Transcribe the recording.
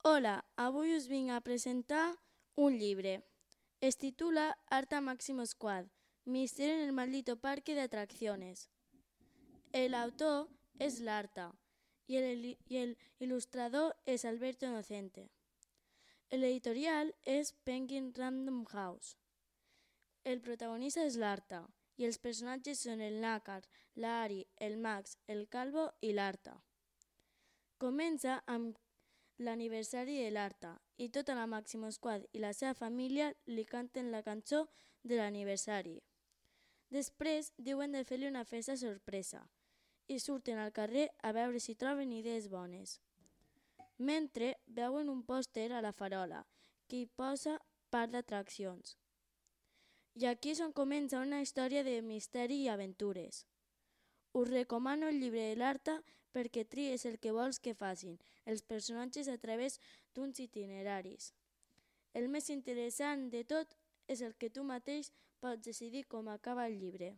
Hola, avui us vinc a presentar un llibre. Es titula Arta Máximo Squad, Misterio en el maldito parque de atracciones. El autor es Larta y el ilustrador es Alberto Inocente. El editorial es Penguin Random House. El protagonista és l'Arta i els personatges són el Nácar, l'Ari, el Max, el Calvo i l'Arta. Comença amb l'aniversari de l'Arta i tota la Máximo Squad i la seva família li canten la cançó de l'aniversari. Després diuen de fer-li una festa sorpresa i surten al carrer a veure si troben idees bones. Mentre veuen un pòster a la farola que hi posa parc d'atraccions. I aquí és on comença una història de misteri i aventures. Us recomano el llibre de l'Arta perquè tries el que vols que facin els personatges a través d'uns itineraris. El més interessant de tot és el que tu mateix pots decidir com acaba el llibre.